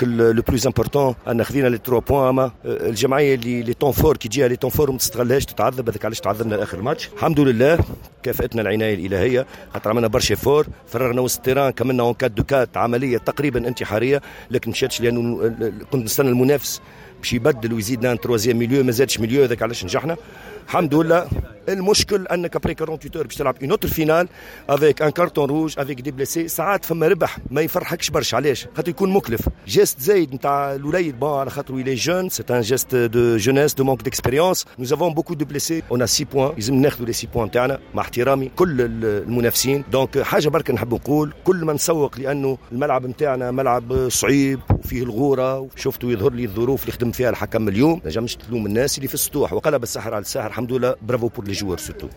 Le plus important ان خذينا les 3 points. اما الجمعية اللي les temps forts، كي تجيها les temps forts ما تستغلهاش تتعذب. هذاك علاش تعذبنا لاخر الماتش. الحمد لله كافئتنا العناية الالهيه، خاطر عملنا برشا efforts، فرغنا وسط ال terrain، كملنا en 4 2 4، عملية تقريبا انتحاريه، لكن مشاتش لانه كنت نستنى المنافس باش يبدل ويزيدنا un troisième milieu، ما زادش milieu، هذاك علاش نجحنا الحمد لله. المشكل انك après 48 heures باش تلعب une autre finale avec un carton rouge، avec des blessés. ساعات فما ربح ما يفرحكش برشا. علاش؟ خاطر يكون مكلف. geste زايد نتاع الوليد، bon، على خاطر il est jeune، c'est un geste de jeunesse، de manque d'expérience. nous avons beaucoup de blessés، on a 6 points، لازم ناخذوا les 6 points تاعنا مع احترامي كل المنافسين. donc حاجة برك نحب نقول، كل ما نسوق لانه الملعب نتاعنا ملعب صعيب وفيه الغوره. شفتوا يظهر لي الظروف اللي خدم فيها الحكم اليوم، نجمش تلوم الناس اللي في السطوح، وقلب السحر على الساحر. الحمد لله، bravo pour les joueurs surtout.